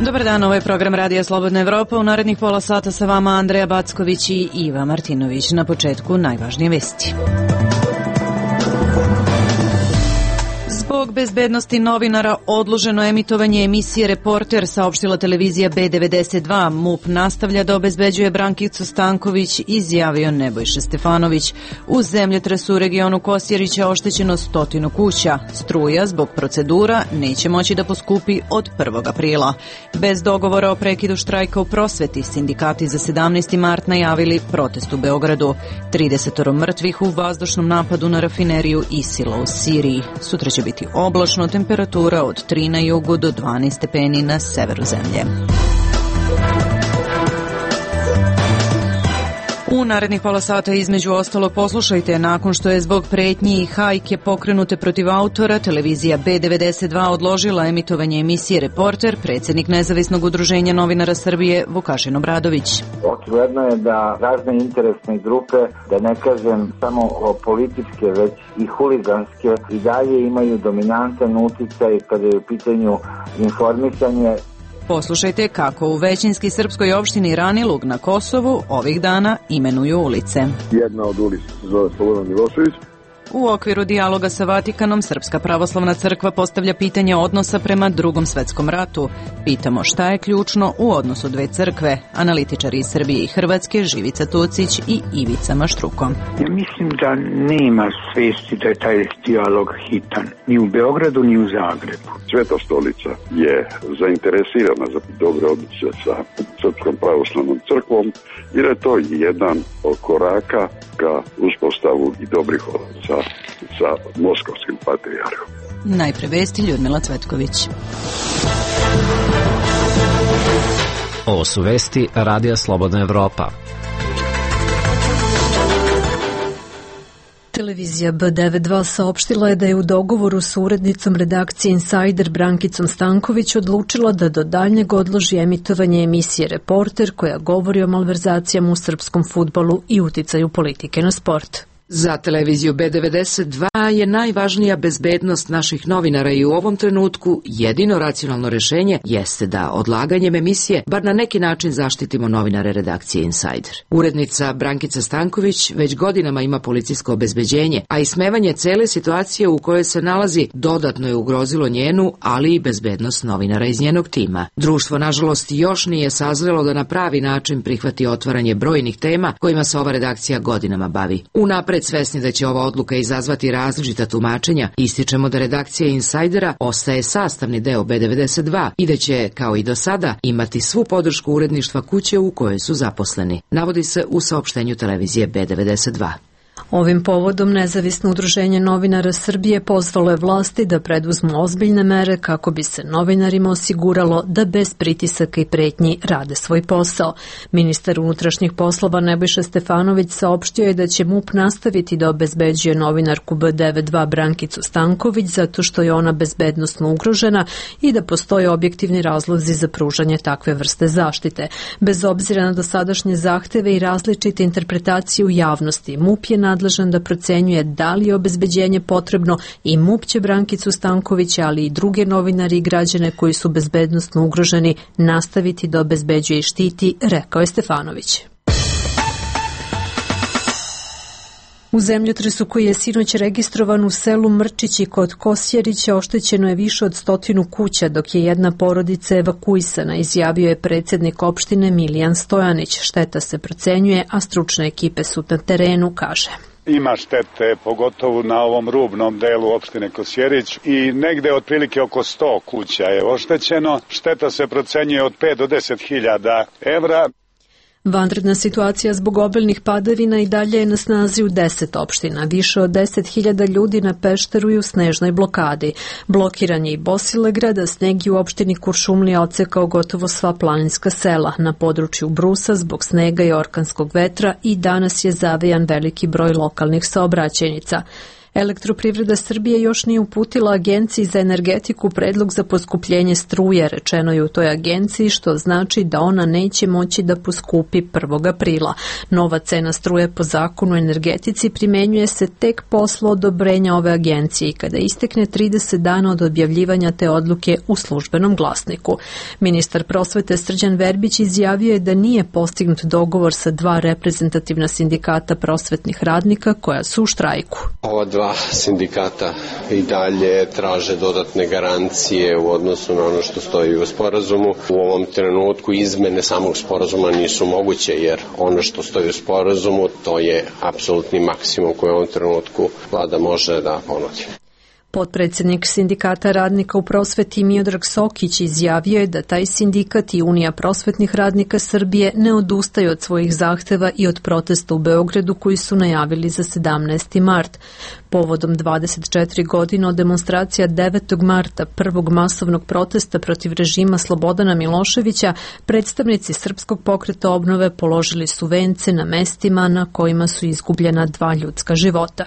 Dobar dan, ovo je program Radija Slobodna Evropa. U narednih pola sata sa vama Andreja Backović i Iva Martinović. Na početku najvažnije vesti. Zbog bezbednosti novinara odloženo emitovanje emisije Reporter, saopštila televizija B92. MUP nastavlja da obezbeđuje Brankicu Stanković, izjavio Nebojša Stefanović. U zemljotresu u regionu Kosjerića oštećeno 100 kuća. Struja zbog procedura neće moći da poskupi od 1. aprila. Bez dogovora o prekidu štrajka u prosveti, sindikati za 17. mart najavili protest u Beogradu. 30 mrtvih u vazdušnom napadu na rafineriju Isila u Siriji. Sutra će biti oblačno, temperatura od 3 na jugu do 12 stepeni na severu zemlje. U narednih pola sata između ostalog poslušajte, nakon što je zbog pretnji i hajke pokrenute protiv autora, televizija B92 odložila emitovanje emisije Reporter, predsjednik Nezavisnog udruženja novinara Srbije Vukašin Obradović. Očigledno je da razne interesne grupe, da ne kažem samo političke, već i huliganske, i dalje imaju dominantan uticaj kada je u pitanju informisanje. Poslušajte kako u većinski srpskoj opštini Ranilug na Kosovu ovih dana imenuju ulice. Jedna od ulica se zove Slobodan Milošević. U okviru dijaloga sa Vatikanom, Srpska pravoslavna crkva postavlja pitanje odnosa prema Drugom svetskom ratu. Pitamo šta je ključno u odnosu dve crkve. Analitičari iz Srbije i Hrvatske, Živica Tucić i Ivica Maštruko. Ja mislim da nema svesti da je taj dijalog hitan. Ni u Beogradu, ni u Zagrebu. Sveta stolica je zainteresirana za dobre odnose sa Srpskom pravoslavnom crkvom, jer je to jedan od koraka ka uspostavu i dobrih odnosa sa moskovskim patrijarhom. Najpre vesti, Ljudmila Cvetković. Ovo su vesti Radija Slobodna Evropa. Televizija B92 saopštila je da je u dogovoru s urednicom redakcije Insider Brankicom Stanković odlučila da do daljnjeg odloži emitovanje emisije Reporter koja govori o malverzacijama u srpskom fudbalu i uticaju politike na sport. Za televiziju B92 je najvažnija bezbednost naših novinara i u ovom trenutku jedino racionalno rješenje jeste da odlaganjem emisije bar na neki način zaštitimo novinare redakcije Insider. Urednica Brankica Stanković već godinama ima policijsko obezbeđenje, a ismevanje cele situacije u kojoj se nalazi dodatno je ugrozilo njenu, ali i bezbednost novinara iz njenog tima. Društvo, nažalost, još nije sazrelo da na pravi način prihvati otvaranje brojnih tema kojima se ova redakcija godinama bavi. Unapred svesni da će ova odluka izazvati različita tumačenja, ističemo da redakcija Insajdera ostaje sastavni deo B92 i da će, kao i do sada, imati svu podršku uredništva kuće u kojoj su zaposleni, navodi se u saopštenju televizije B92. Ovim povodom Nezavisno udruženje novinara Srbije pozvalo je vlasti da preduzmu ozbiljne mere kako bi se novinarima osiguralo da bez pritisaka i pretnji rade svoj posao. Ministar unutrašnjih poslova Nebojša Stefanović saopštio je da će MUP nastaviti da obezbeđuje novinarku B92 Brankicu Stanković zato što je ona bezbednosno ugrožena i da postoje objektivni razlozi za pružanje takve vrste zaštite. Bez obzira na dosadašnje zahteve i različite interpretacije u javnosti, MUP je nadležan da procenjuje da li je obezbeđenje potrebno i MUP će Brankicu Stanković, ali i druge novinari i građane koji su bezbednosno ugroženi nastaviti da obezbeđuje i štiti, rekao je Stefanović. U zemljotresu koji je sinoć registrovan u selu Mrčići kod Kosjerića oštećeno je više od 100 kuća, dok je jedna porodica evakuisana, izjavio je predsjednik opštine Milijan Stojanić. Šteta se procenjuje, a stručne ekipe su na terenu, kaže. Ima štete, pogotovo na ovom rubnom delu opštine Kosjerić i negde otprilike oko 100 kuća je oštećeno. Šteta se procenjuje od 5 do 10 hiljada evra. Vanredna situacija zbog obilnih padavina i dalje je na snazi u 10 opština. Više od 10.000 ljudi na Pešteru i u snežnoj blokadi. Blokiran je i Bosilegrad, a sneg je u opštini Kuršumlija odsekao gotovo sva planinska sela. Na području Brusa zbog snega i orkanskog vetra i danas je zavejan veliki broj lokalnih saobraćajnica. Elektroprivreda Srbije još nije uputila Agenciji za energetiku predlog za poskupljenje struje, rečeno je u toj agenciji, što znači da ona neće moći da poskupi 1. aprila. Nova cena struje po zakonu o energetici primenjuje se tek posle odobrenja ove agencije i kada istekne 30 dana od objavljivanja te odluke u službenom glasniku. Ministar prosvete Srđan Verbić izjavio je da nije postignut dogovor sa 2 reprezentativna sindikata prosvetnih radnika koja su u štrajku. Ova 2 sindikata i dalje traže dodatne garancije u odnosu na ono što stoji u sporazumu. U ovom trenutku izmene samog sporazuma nisu moguće jer ono što stoji u sporazumu to je apsolutni maksimum koji u ovom trenutku vlada može da ponudi. Potpredsjednik sindikata radnika u prosveti Miodrag Sokić izjavio je da taj sindikat i Unija prosvetnih radnika Srbije ne odustaju od svojih zahteva i od protesta u Beogradu koji su najavili za 17. mart. Povodom 24 godine od demonstracija 9. marta, prvog masovnog protesta protiv režima Slobodana Miloševića, predstavnici Srpskog pokreta obnove položili su vence na mestima na kojima su izgubljena 2 ljudska života.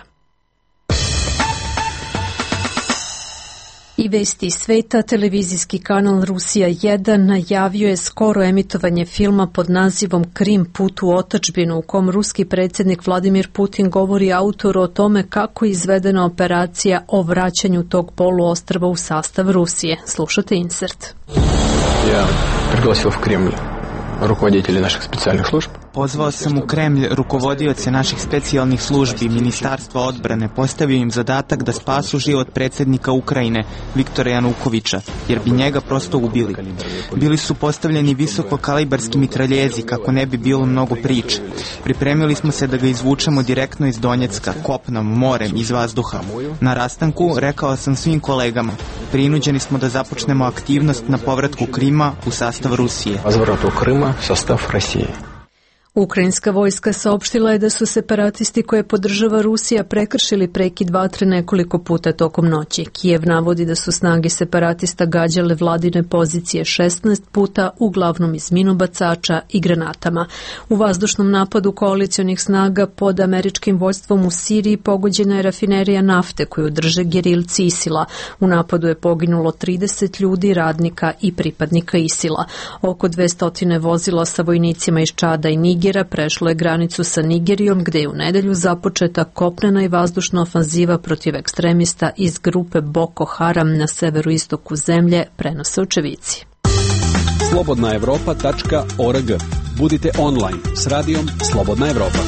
I vesti sveta, televizijski kanal Rusija 1 najavio je skoro emitovanje filma pod nazivom Krim, put u otadžbinu, u kom ruski predsjednik Vladimir Putin govori autoru o tome kako je izvedena operacija o vraćanju tog poluostrva u sastav Rusije. Slušate insert. Ja priglasio v Kremlj rukovoditelji naših specijalnih služb. Pozvao sam u Kremlj rukovodioce naših specijalnih službi, Ministarstva odbrane, postavio im zadatak da spasu život predsjednika Ukrajine, Viktora Janukovića, jer bi njega prosto ubili. Bili su postavljeni visokokalibarski mitraljezi kako ne bi bilo mnogo priče. Pripremili smo se da ga izvučemo direktno iz Donjecka, kopnom, morem, iz vazduha. Na rastanku rekao sam svim kolegama, prinuđeni smo da započnemo aktivnost na povratku Krima u sastav Rusije. Razvratu Krima, sastav Rusije. Ukrajinska vojska saopštila je da su separatisti koje podržava Rusija prekršili prekid vatre nekoliko puta tokom noći. Kijev navodi da su snage separatista gađale vladine pozicije 16 puta, uglavnom iz minobacača i granatama. U vazdušnom napadu koalicionih snaga pod američkim vojstvom u Siriji pogođena je rafinerija nafte koju drže gerilci ISIL-a. U napadu je poginulo 30 ljudi, radnika i pripadnika ISIL-a. Oko 200 vozila sa vojnicima iz Čada i Nigera prešlo je granicu sa Nigerijom, gde je u nedelju započeta kopnena i vazdušna ofanziva protiv ekstremista iz grupe Boko Haram na severoistoku zemlje, prenose očevici. slobodnaevropa.org. Budite online s radijom Slobodna Evropa.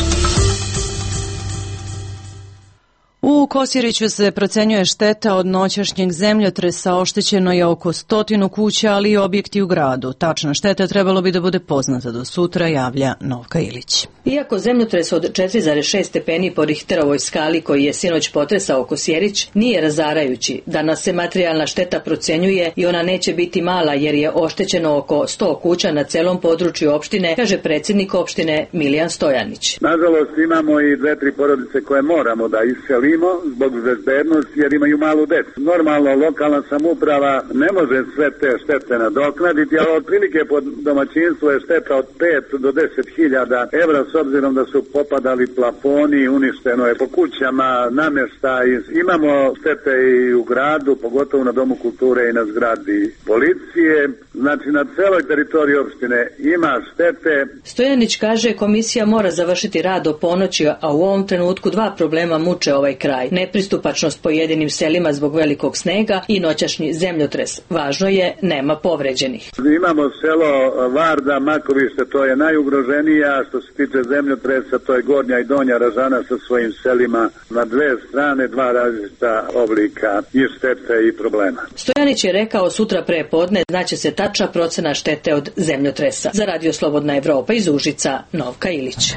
U Kosjeriću se procenjuje šteta od noćašnjeg zemljotresa, oštećeno je oko 100 kuća, ali i objekti u gradu. Tačna šteta trebalo bi da bude poznata do sutra, javlja Novka Ilić. Iako zemljotres od 4,6 stepeni po Richterovoj skali koji je sinoć potresao Kosjerić nije razarajući, danas se materijalna šteta procenjuje i ona neće biti mala jer je oštećeno oko 100 kuća na celom području opštine, kaže predsjednik opštine Milijan Stojanić. Nažalost imamo i 2-3 porodice koje moramo da iselimo zbog bezbednosti jer imaju malu decu. Normalno lokalna samouprava ne može sve te štete nadoknaditi, ali otprilike po domaćinstvu je šteta od 5 do 10.000 evra s obzirom da su popadali plafoni, uništeno je po kućama, namještaj. Imamo štete i u gradu, pogotovo na Domu kulture i na zgradi policije. Znači na celoj teritoriji opštine ima štete. Stojanić kaže komisija mora završiti rad do ponoći, a u ovom trenutku 2 problema muče ovaj kraj. Nepristupačnost pojedinim selima zbog velikog snega i noćašnji zemljotres. Važno je, nema povređenih. Imamo selo Varda, Makovište, to je najugroženija. Što se tiče zemljotresa, to je Gornja i Donja Ražana sa svojim selima na 2 strane, 2 različita oblika i štete i problema. Stojanić je rekao sutra pre podne znaće se tačna procena štete od zemljotresa. Za Radio Slobodna Evropa iz Užica, Novka Ilić.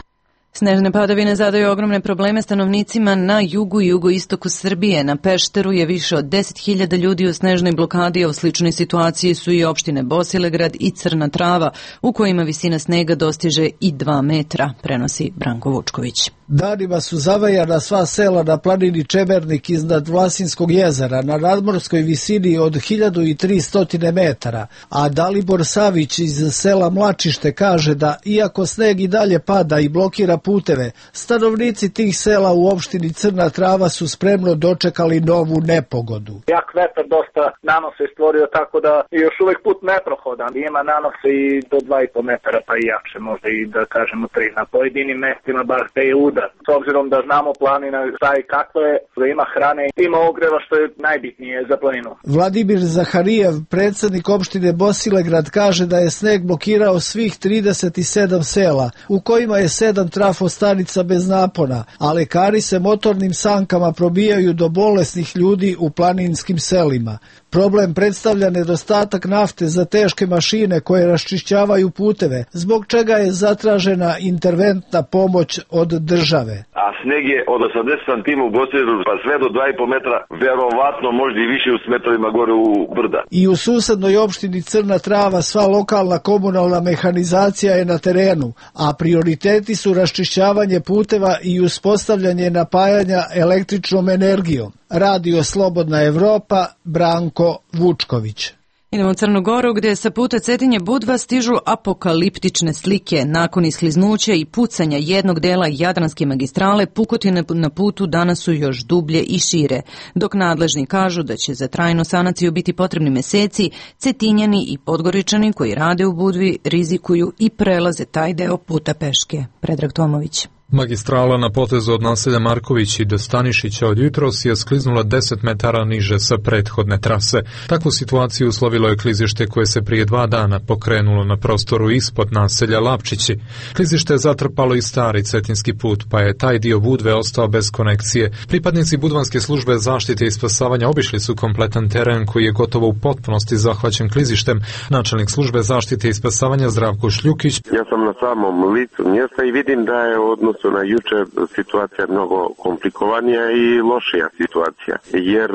Snežne padavine zadaju ogromne probleme stanovnicima na jugu i jugoistoku Srbije. Na Pešteru je više od 10.000 ljudi u snežnoj blokadi, a u sličnoj situaciji su i opštine Bosilegrad i Crna Trava, u kojima visina snega dostiže i 2 metra, prenosi Branko Vučković. Danima su zavajana sva sela na planini Čemernik iznad Vlasinskog jezera na nadmorskoj visini od 1300 metara, a Dalibor Savić iz sela Mlačište kaže da iako sneg i dalje pada i blokira puteve, stanovnici tih sela u opštini Crna Trava su spremno dočekali novu nepogodu. Jak vetar dosta nanose stvorio tako da je još uvek put neprohodan. Ima nanose i do 2,5 metara pa i jače, možda i da kažemo 3 na pojedinim mestima, bar te je udar. S obzirom da znamo planina šta i kako je, da ima hrane, ima ogreva što je najbitnije za planinu. Vladimir Zaharijev, predsednik opštine Bosilegrad, kaže da je sneg blokirao svih 37 sela, u kojima je 7 trafostanica bez napona, a lekari se motornim sankama probijaju do bolesnih ljudi u planinskim selima. Problem predstavlja nedostatak nafte za teške mašine koje raščišćavaju puteve, zbog čega je zatražena interventna pomoć od države. A sneg je od 80 cm u Bosilegradu pa sve do 2,5 metra, verovatno možda i više u metrovima gore u brda. I u susednoj opštini Crna Trava sva lokalna komunalna mehanizacija je na terenu, a prioriteti su raščišćavanje puteva i uspostavljanje napajanja električnom energijom. Radio Slobodna Evropa, Branko Vučković. Idemo u Crnu Goru gdje sa puta Cetinje Budva stižu apokaliptične slike. Nakon iskliznuća i pucanja jednog dela Jadranske magistrale, pukotine na putu danas su još dublje i šire. Dok nadležni kažu da će za trajnu sanaciju biti potrebni meseci, Cetinjani i Podgoričani koji rade u Budvi rizikuju i prelaze taj deo puta peške. Predrag Tomović. Magistrala na potezu od naselja Marković i do Stanišića od jutros je skliznula 10 metara niže sa prethodne trase. Takvu situaciju uslovilo je klizište koje se prije 2 dana pokrenulo na prostoru ispod naselja Lapčići. Klizište je zatrpalo i stari cetinski put, pa je taj dio Budve ostao bez konekcije. Pripadnici Budvanske službe zaštite i spasavanja obišli su kompletan teren koji je gotovo u potpunosti zahvaćen klizištem. Načelnik službe zaštite i spasavanja Zdravko Šljukić. Ja sam na samom licu mjesta i vidim da je odnos na juče situacija mnogo komplikovanija i lošija situacija, jer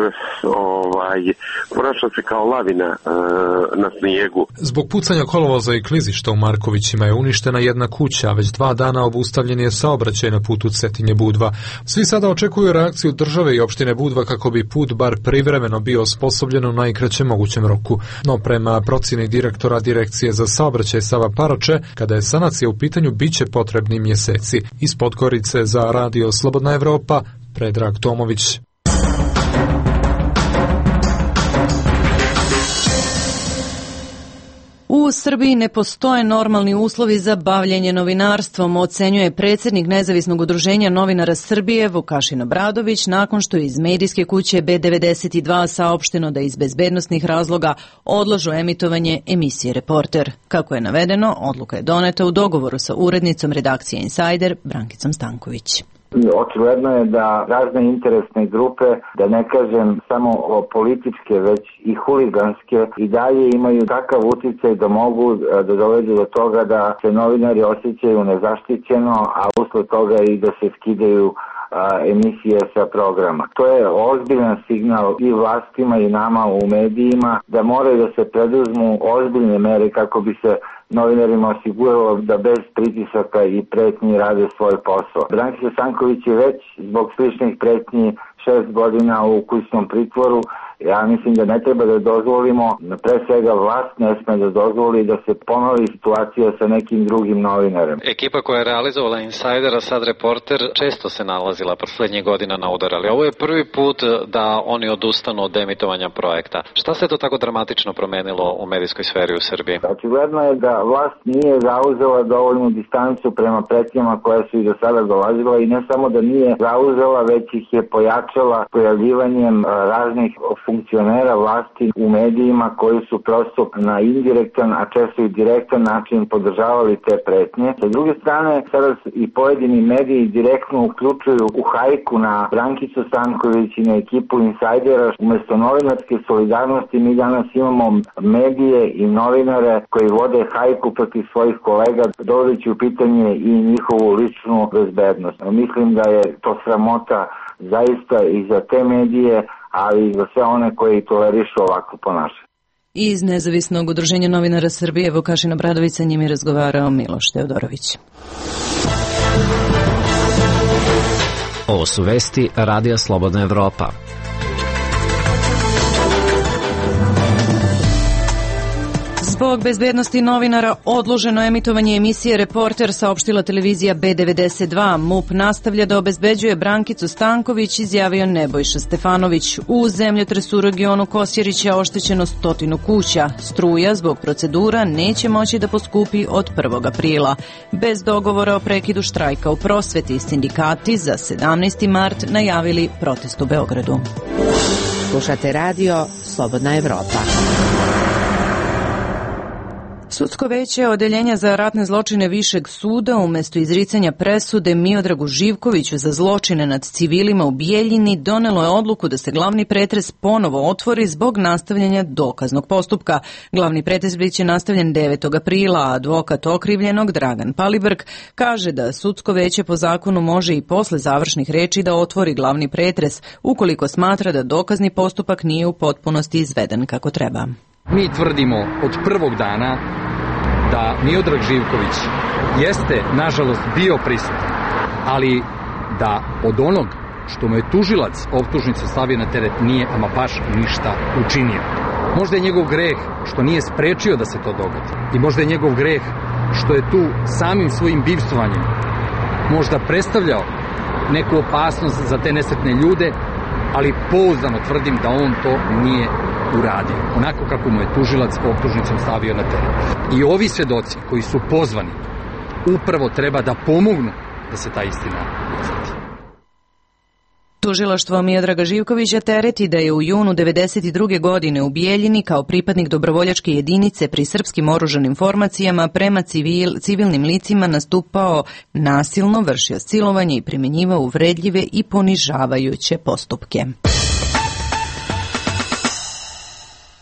ponaša se kao lavina na snijegu. Zbog pucanja kolovoza i klizišta u Markovićima je uništena jedna kuća, a već 2 dana obustavljen je saobraćaj na putu Cetinje Budva. Svi sada očekuju reakciju države i opštine Budva kako bi put bar privremeno bio osposobljen u najkraćem mogućem roku. No prema procjeni direktora Direkcije za saobraćaj Sava Parače, kada je sanacija u pitanju, biće potrebni mjeseci. Iz Podgorice za Radio Slobodna Evropa, Predrag Tomović. U Srbiji ne postoje normalni uslovi za bavljenje novinarstvom, ocenjuje predsjednik Nezavisnog udruženja novinara Srbije Vukašin Obradović nakon što je iz medijske kuće B92 saopšteno da iz bezbednosnih razloga odlažu emitovanje emisije Reporter. Kako je navedeno, odluka je doneta u dogovoru sa urednicom redakcije Insider Brankicom Stanković. Očigledno je da razne interesne grupe, da ne kažem samo političke, već i huliganske, i dalje imaju takav uticaj da mogu da dovedu do toga da se novinari osjećaju nezaštićeno, a usled toga i da se skidaju emisije sa programa. To je ozbiljan signal i vlastima i nama u medijima da moraju da se preduzmu ozbiljne mere kako bi se novinarima osiguralo da bez pritisaka i pretnji rade svoj posao. Brankica Stanković je već zbog sličnih pretnji 6 godina u kućnom pritvoru. Ja mislim da ne treba da dozvolimo, pre svega vlast ne sme da dozvoli da se ponovi situacija sa nekim drugim novinarem. Ekipa koja je realizovala Insidera, sad Reporter, često se nalazila poslednjih godina na udar, ali ovo je prvi put da oni odustanu od emitovanja projekta. Šta se to tako dramatično promenilo u medijskoj sferi u Srbiji? Očigledno je da vlast nije zauzela dovoljnu distancu prema pretnjama koja su i do sada dolazila i ne samo da nije zauzela, već ih je pojačala pojavljivanjem raznih funkcionera vlasti u medijima koji su prosto na indirektan, a često i direktan način podržavali te pretnje. Sa druge strane, sada i pojedini mediji direktno uključuju u hajku na Brankicu Stanković i na ekipu Insajdera. Umesto novinarske solidarnosti mi danas imamo medije i novinare koji vode hajku protiv svojih kolega, dovodeći u pitanje i njihovu ličnu bezbednost. Mislim da je to sramota zaista i za te medije, ali i za sve one koji tolerišu ovako ponašanje. Iz Nezavisnog udruženja novinara Srbije Vukašin Obradović, sa njim je razgovarao Miloš Teodorović. Ovo su vesti Radija Slobodna Evropa. Zbog bezbednosti novinara odloženo emitovanje emisije Reporter, saopštila televizija B92. MUP nastavlja da obezbeđuje Brankicu Stanković, izjavio Nebojša Stefanović. U zemljotresu u regionu Kosjerića oštećeno 100 kuća. Struja zbog procedura neće moći da poskupi od 1. aprila. Bez dogovora o prekidu štrajka u prosveti, sindikati za 17. mart najavili protest u Beogradu. Slušate radio Slobodna Evropa. Sudsko veće Odeljenja za ratne zločine Višeg suda umjesto izricanja presude Miodragu Živkoviću za zločine nad civilima u Bijeljini donelo je odluku da se glavni pretres ponovo otvori zbog nastavljanja dokaznog postupka. Glavni pretres biće nastavljen 9. aprila, a advokat okrivljenog Dragan Palibrg kaže da sudsko veće po zakonu može i posle završnih reči da otvori glavni pretres ukoliko smatra da dokazni postupak nije u potpunosti izveden kako treba. Mi tvrdimo od prvog dana da Miodrag Živković jeste, nažalost, bio prisutan, ali da od onog što mu je tužilac optužnice stavio na teret nije ama baš ništa učinio. Možda je njegov greh što nije sprečio da se to dogodi i možda je njegov greh što je tu samim svojim bivstvovanjem možda predstavljao neku opasnost za te nesretne ljude, ali pouzdano tvrdim da on to nije uradio, onako kako mu je tužilac optužnicom stavio na teret. I ovi svedoci koji su pozvani upravo treba da pomognu da se ta istina izvadi. Tužilaštvo Miodraga Živkovića tereti da je u junu 1992. godine u Bijeljini kao pripadnik dobrovoljačke jedinice pri srpskim oružanim formacijama prema civilnim licima nastupao nasilno, vršio silovanje i primjenjivao uvredljive i ponižavajuće postupke.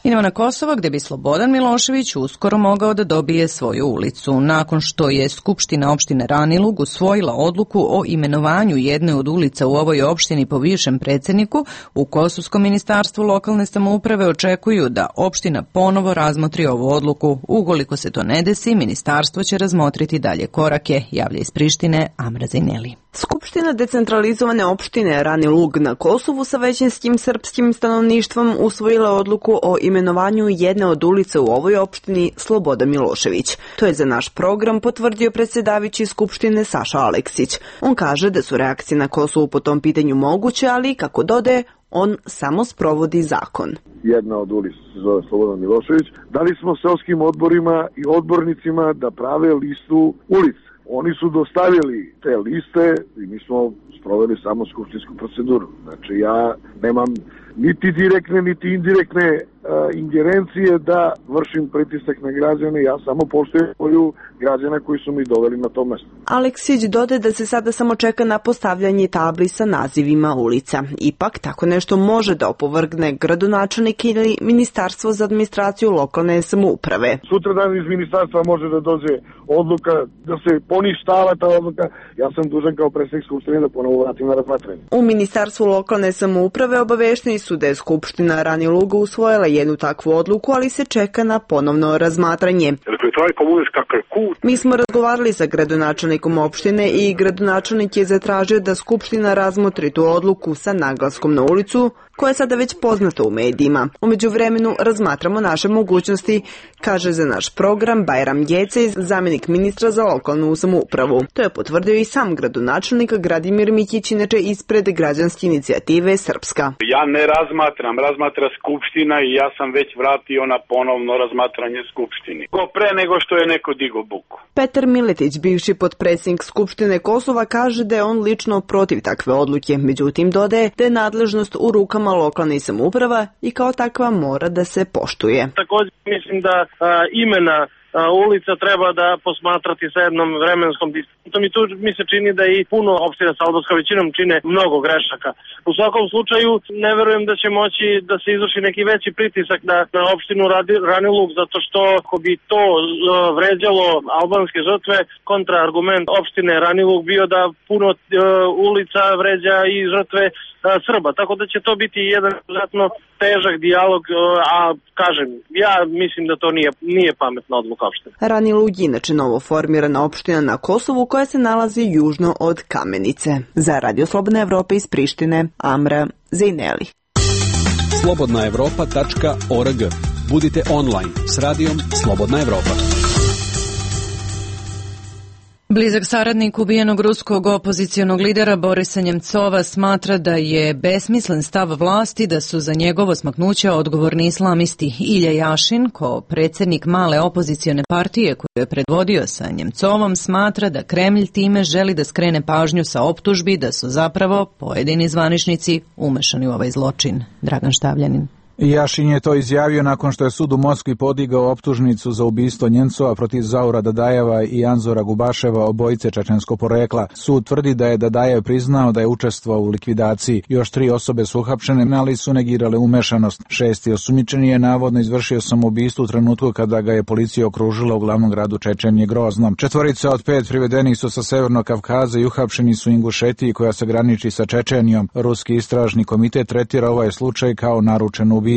Idemo na Kosovo, gde bi Slobodan Milošević uskoro mogao da dobije svoju ulicu. Nakon što je Skupština opštine Ranilug usvojila odluku o imenovanju jedne od ulica u ovoj opštini po bivšem predsjedniku, u Kosovskom ministarstvu lokalne samouprave očekuju da opština ponovo razmotri ovu odluku. Ukoliko se to ne desi, ministarstvo će razmotriti dalje korake, javlja iz Prištine Amra Zajneli. Skupština decentralizovane opštine Ranilug na Kosovu sa većinskim srpskim stanovništvom usvojila odluku o imenovanju jedne od ulica u ovoj opštini Slobodan Milošević. To je za naš program potvrdio predsjedavajući Skupštine Saša Aleksić. On kaže da su reakcije na Kosovu po tom pitanju moguće, ali kako dodaje, on samo sprovodi zakon. Jedna od ulica se zove Slobodan Milošević. Dali smo seoskim odborima i odbornicima da prave listu ulica. Oni su dostavili te liste i mi smo sproveli samo skupštinsku proceduru. Znači ja nemam niti direktne, niti indirektne ingerencije da vršim pritisak na građane, ja samo poštujem volju građana koji su mi doveli na to mesto. Aleksić dodaje da se sada samo čeka na postavljanje tabli sa nazivima ulica. Ipak, tako nešto može da opovrgne gradonačelnik ili Ministarstvo za administraciju lokalne samouprave. Sutradan iz ministarstva može da dođe odluka da se poništava ta odluka. Ja sam dužan kao predsjednik Skupštine da ponovo vratim na razmatranje. U Ministarstvu lokalne samouprave obavešteni su da je Skupština Raniluga usvojila jednu takvu odluku, ali se čeka na ponovno razmatranje. Mi smo razgovarali sa gradonačelnikom opštine i gradonačelnik je zatražio da Skupština razmotri tu odluku sa naglaskom na ulicu, koja je sada već poznata u medijima. U međuvremenu razmatramo naše mogućnosti, kaže za naš program Bajram Gecej, zamjenik ministra za lokalnu samoupravu. To je potvrdio i sam gradonačelnik Gradimir Mikić, inače ispred građanske inicijative Srpska. Ja ne razmatra Skupština i ja sam već vratio na ponovno razmatranje Skupštini. Pre nego što je neko digo buku. Petar Miletić, bivši potpredsjednik Skupštine Kosova, kaže da je on lično protiv takve odluke. Međutim, dodaje da je nadležnost u rukama lokalne samouprava i kao takva mora da se poštuje. Također mislim da imena ulica treba da posmatrati sa jednom vremenskom distantom i tu mi se čini da i puno opština sa albanskom većinom čine mnogo grešaka. U svakom slučaju ne verujem da će moći da se izvrši neki veći pritisak na opštinu Ranilug, zato što ako bi to vređalo albanske žrtve, kontraargument opštine Ranilug bio da puno ulica vređa i žrtve Srba, tako da će to biti jedan izuzetno težak dijalog, a kažem, ja mislim da to nije pametna odluka opštine. Rani Lug je inače novo formirana opština na Kosovu koja se nalazi južno od Kamenice. Za Radio Slobodna Evropa iz Prištine, Amra Zejneli. slobodnaevropa.org. Budite online s radijom Slobodna Evropa. Blizak saradnik ubijenog ruskog opozicionog lidera Borisa Njemcova smatra da je besmislen stav vlasti da su za njegovo smaknuće odgovorni islamisti. Ilja Jašin, kao predsjednik male opozicione partije koju je predvodio sa Njemcovom, smatra da Kremlj time želi da skrene pažnju sa optužbi da su zapravo pojedini zvaničnici umešani u ovaj zločin. Dragan Štavljanin. Jašin je to izjavio nakon što je sud u Moskvi podigao optužnicu za ubistvo Njemcova protiv Zaura Dadajeva i Anzora Gubaševa, obojice čečenskog porekla. Sud tvrdi da je Dadajev priznao da je učestvovao u likvidaciji. Još 3 osobe su uhapšene, ali su negirale umešanost. 6. osumnjičeni je navodno izvršio samoubistvo u trenutku kada ga je policija okružila u glavnom gradu Čečenije Groznom. 4 od 5 privedenih su sa Severnog Kavkaza i uhapšeni su Ingušetiji koja se graniči sa Čečenijom. Ruski istražni komitet tretira ovaj slučaj kao naručen ubistvo.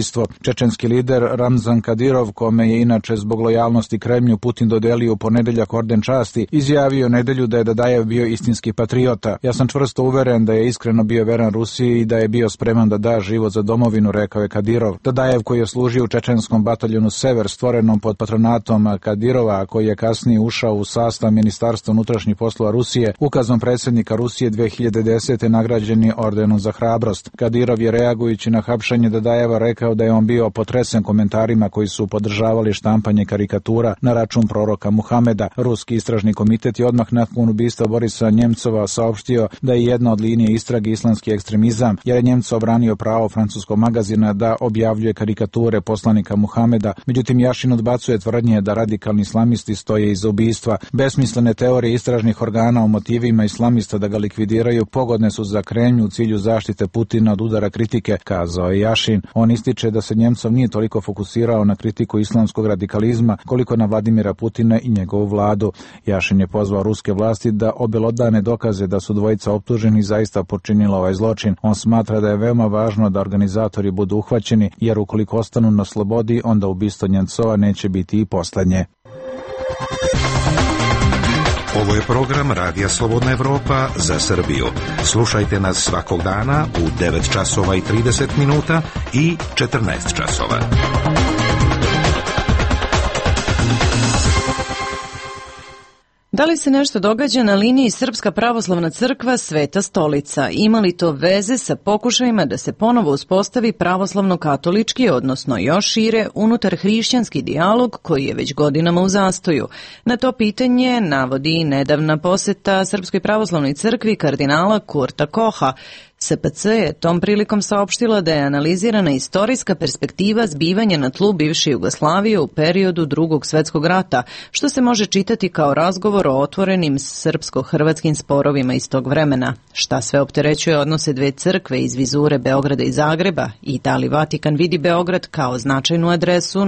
Čečenski lider Ramzan Kadirov, kome je inače zbog lojalnosti Kremlju Putin dodelio u ponedeljak orden časti, izjavio nedelju da je Dadajev bio istinski patriota. Ja sam čvrsto uveren da je iskreno bio veran Rusiji i da je bio spreman da da život za domovinu, rekao je Kadirov. Dadajev, koji je služio u čečenskom bataljonu Sever, stvorenom pod patronatom Kadirova, koji je kasnije ušao u sastav Ministarstva unutrašnjih poslova Rusije, ukazom predsjednika Rusije 2010. nagrađen je ordenom za hrabrost. Kadirov je reagujući na hapšenje Dadajeva rekao da je on bio potresen komentarima koji su podržavali štampanje karikatura na račun proroka Muhameda. Ruski istražni komitet je odmah nakon ubistva Borisa Njemcova saopštio da je jedna od linije istrage islamski ekstremizam, jer je Njemcov branio pravo francuskog magazina da objavljuje karikature poslanika Muhameda. Međutim, Jašin odbacuje tvrdnje da radikalni islamisti stoje iza ubistva. Besmislene teorije istražnih organa o motivima islamista da ga likvidiraju pogodne su za Kremlj u cilju zaštite Putina od udara kritike, kazao je Jašin. On ističe da se Njemcov nije toliko fokusirao na kritiku islamskog radikalizma koliko na Vladimira Putina i njegovu vladu. Jašin je pozvao ruske vlasti da obelodane dokaze da su dvojica optuženi zaista počinila ovaj zločin. On smatra da je veoma važno da organizatori budu uhvaćeni, jer ukoliko ostanu na slobodi, onda ubistvo Njemcova neće biti i poslednje. Ovo je program Radija Slobodna Evropa za Srbiju. Slušajte nas svakog dana u 9 časova i 30 minuta i 14 časova. Da li se nešto događa na liniji Srpska pravoslavna crkva Sveta stolica? Ima li to veze sa pokušajima da se ponovo uspostavi pravoslavno-katolički, odnosno još šire, unutar hrišćanski dijalog koji je već godinama u zastoju? Na to pitanje navodi i nedavna poseta Srpskoj pravoslavnoj crkvi kardinala Kurta Koha. SPC je tom prilikom saopštila da je analizirana istorijska perspektiva zbivanja na tlu bivše Jugoslavije u periodu Drugog svjetskog rata, što se može čitati kao razgovor o otvorenim srpsko-hrvatskim sporovima iz tog vremena. Šta sve opterećuje odnose dve crkve iz vizure Beograda i Zagreba i da li Vatikan vidi Beograd kao značajnu adresu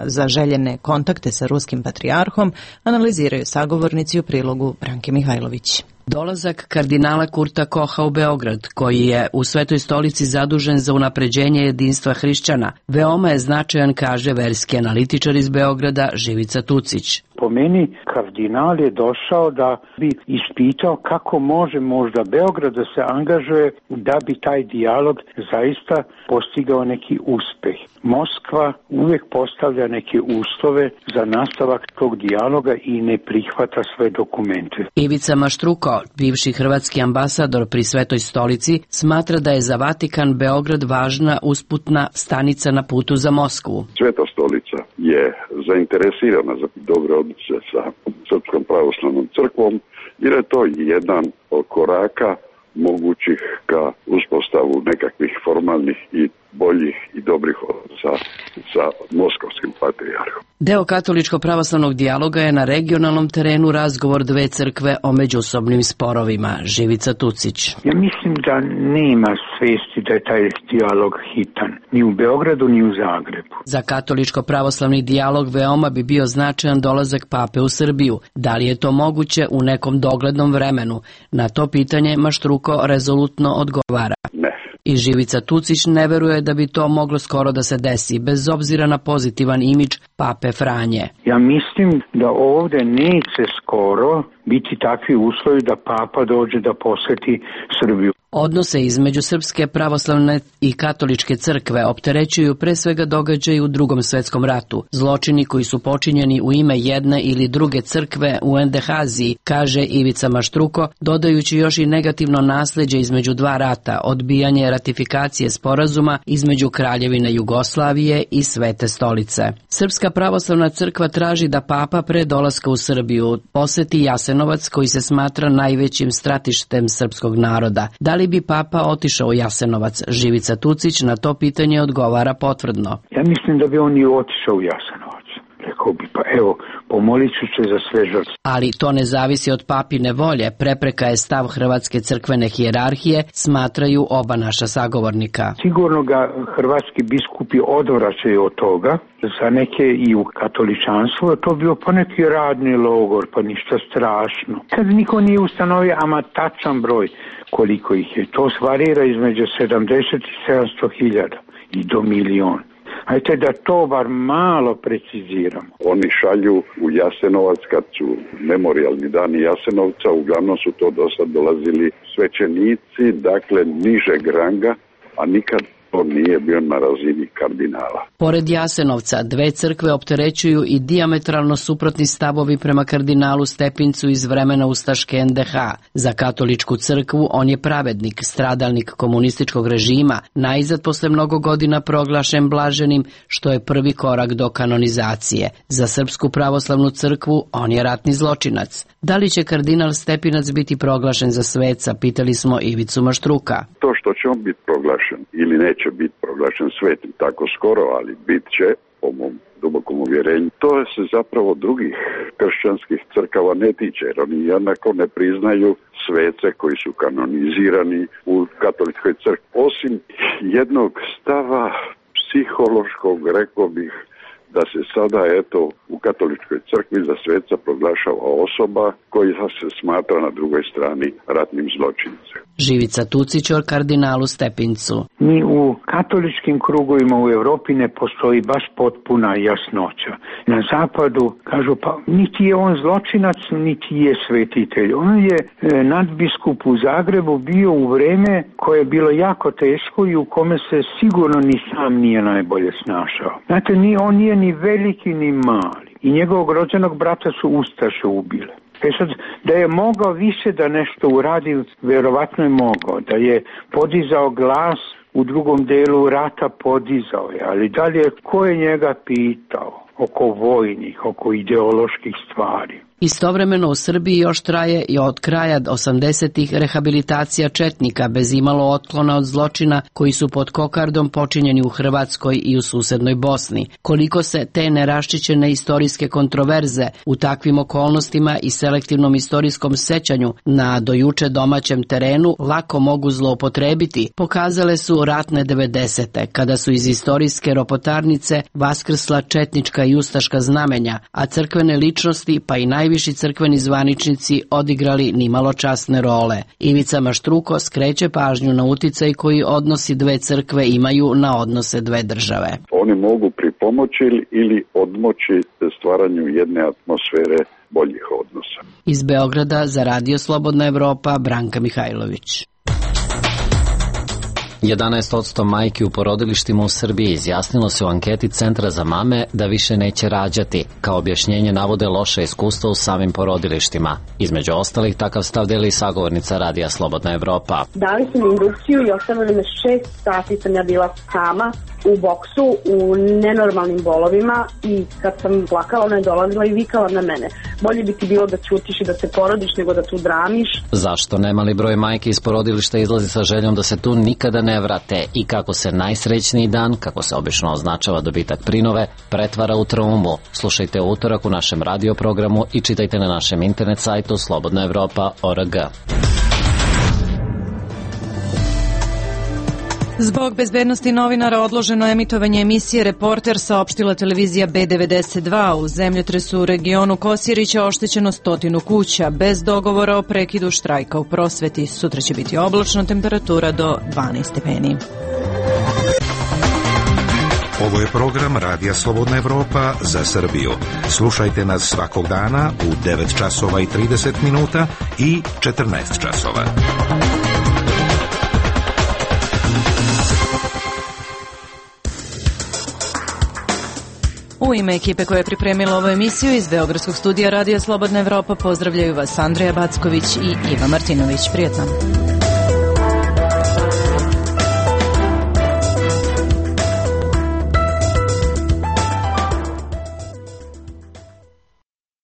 za željene kontakte sa ruskim patrijarhom, analiziraju sagovornici u prilogu Branke Mihajlović. Dolazak kardinala Kurta Koha u Beograd, koji je u Svetoj stolici zadužen za unapređenje jedinstva hrišćana, veoma je značajan, kaže verski analitičar iz Beograda Živica Tucić. Po meni, kardinal je došao da bi ispitao kako može možda Beograd da se angažuje da bi taj dijalog zaista postigao neki uspeh. Moskva uvijek postavlja neke uslove za nastavak tog dijaloga i ne prihvata sve dokumente. Ivica Maštruko, bivši hrvatski ambasador pri Svetoj stolici, smatra da je za Vatikan Beograd važna usputna stanica na putu za Moskvu. Sveta stolica je zainteresirana za dobre odnose sa Srpskom pravoslavnom crkvom, jer je to jedan od koraka mogućih ka uspostavu nekakvih formalnih i boljih i dobrih odnosa sa moskovskim patrijarhom. Deo katoličko-pravoslavnog dijaloga je na regionalnom terenu razgovor dve crkve o međusobnim sporovima. Živica Tucić. Ja mislim da nema svesti da je taj dijalog hitan, ni u Beogradu ni u Zagrebu. Za katoličko-pravoslavni dijalog veoma bi bio značajan dolazak pape u Srbiju. Da li je to moguće u nekom doglednom vremenu? Na to pitanje Maštruko rezolutno odgovara. Ne, i Živica Tucić ne veruje da bi to moglo skoro da se desi, bez obzira na pozitivan imidž Pape Franje. Ja mislim da ovde neće skoro biti takvi uslovi da Papa dođe da poseti Srbiju. Odnose između Srpske pravoslavne i katoličke crkve opterećuju pre svega događaji u Drugom svetskom ratu. Zločini koji su počinjeni u ime jedne ili druge crkve u NDH-aziji, kaže Ivica Maštruko, dodajući još i negativno nasleđe između dva rata, odbijanje ratifikacije sporazuma između Kraljevine Jugoslavije i Svete stolice. Srpska pravoslavna crkva traži da Papa pre dolaska u Srbiju poseti Jasenovac, koji se smatra najvećim stratištem srpskog naroda. Da li bi Papa otišao u Jasenovac? Živica Tucić na to pitanje odgovara potvrdno. Ja mislim da bi on i otišao u Jasenovac. Rekao bi, pa evo, pomolit ću se za sve žrtve. Ali to ne zavisi od papine volje, prepreka je stav hrvatske crkvene hijerarhije, smatraju oba naša sagovornika. Sigurno ga hrvatski biskupi odvraćaju od toga, za neke i u katoličanstvu, to bio pa neki radni logor, pa ništa strašno. Kad niko nije ustanovio ama tačan broj koliko ih je, to varira između 70 i 700 hiljada i do milion. Ajte da to bar malo preciziramo. Oni šalju u Jasenovac kad su memorijalni dani Jasenovca, uglavnom su to do sad dolazili svećenici, dakle nižeg ranga, a nikad to nije bio na razini kardinala. Pored Jasenovca, dve crkve opterećuju i dijametralno suprotni stavovi prema kardinalu Stepincu iz vremena ustaške NDH. Za katoličku crkvu on je pravednik, stradalnik komunističkog režima, najzad posle mnogo godina proglašen blaženim, što je prvi korak do kanonizacije. Za Srpsku pravoslavnu crkvu on je ratni zločinac. Da li će kardinal Stepinac biti proglašen za sveca, pitali smo Ivicu Maštruka. To što će on biti proglašen ili neće biti proglašen svetim tako skoro, ali bit će, po mom dubokom uvjerenju, to se zapravo drugih kršćanskih crkava ne tiče, jer oni jednako ne priznaju svece koji su kanonizirani u katoličkoj crkvi. Osim jednog stava psihološkog, rekao bih, da se sada, eto, u katoličkoj crkvi za sveca proglašava osoba koja se smatra na drugoj strani ratnim zločincem. Živica Tucić o kardinalu Stepincu. Mi u katoličkim krugovima u Evropi ne postoji baš potpuna jasnoća. Na zapadu kažu, pa niti je on zločinac, niti je svetitelj. On je nadbiskup u Zagrebu bio u vreme koje je bilo jako teško i u kome se sigurno ni sam nije najbolje snašao. Znate, on nije ni veliki ni mali. I njegovog rođenog brata su ustaše ubile. Sad, da je mogao više da nešto uradi, verovatno je mogao. Da je podizao glas u drugom delu rata, podizao je. Ali dalje, ko je njega pitao oko vojnih, oko ideoloških stvari? Istovremeno u Srbiji još traje i od kraja 80-ih rehabilitacija četnika bez imalo otklona od zločina koji su pod kokardom počinjeni u Hrvatskoj i u susednoj Bosni. Koliko se te neraščićene istorijske kontroverze u takvim okolnostima i selektivnom istorijskom sećanju na dojuče domaćem terenu lako mogu zloupotrebiti, pokazale su ratne 90. kada su iz istorijske ropotarnice vaskrsla četnička i ustaška znamenja, a crkvene ličnosti pa i najviši crkveni zvaničnici odigrali nimalo časne role. Ivica Maštruko skreće pažnju na uticaj koji odnosi dve crkve imaju na odnose dve države. Oni mogu pripomoći ili odmoći stvaranju jedne atmosfere boljih odnosa. Iz Beograda za Radio Slobodna Evropa, Branka Mihajlović. 11% majki u porodilištima u Srbiji izjasnilo se u anketi Centra za mame da više neće rađati. Kao objašnjenje navode loše iskustva u samim porodilištima. Između ostalih, takav stav deli sagovornica Radija Slobodna Evropa. Dali su mi indukciju i ostavili me 6 sati sam ja bila sama u boksu, u nenormalnim bolovima i kad sam plakala, ona je dolazila i vikala na mene. Bolje bi ti bilo da ćutiš i da se porodiš nego da tu dramiš. Zašto nemali broj majke iz porodilišta izlazi sa željom da se tu nikada ne vrate i kako se najsrećniji dan, kako se obično označava dobitak prinove, pretvara u traumu? Slušajte u utorak u našem radioprogramu i čitajte na našem internet sajtu slobodnaevropa.org. Zbog bezbednosti novinara odloženo emitovanje emisije Reporter, saopštila televizija B92. U zemljotresu u regionu Kosjerića oštećeno 100 kuća, bez dogovora o prekidu štrajka u prosveti. Sutra će biti oblačno, temperatura do 12 stepeni. Ovo je program Radija Slobodna Evropa za Srbiju. Slušajte nas svakog dana u 9 časova i 30 minuta i 14 časova. U ime ekipe koja je pripremila ovu emisiju iz Beogradskog studija Radija Slobodna Evropa pozdravljaju vas Andreja Backović i Iva Martinović. Prijetno.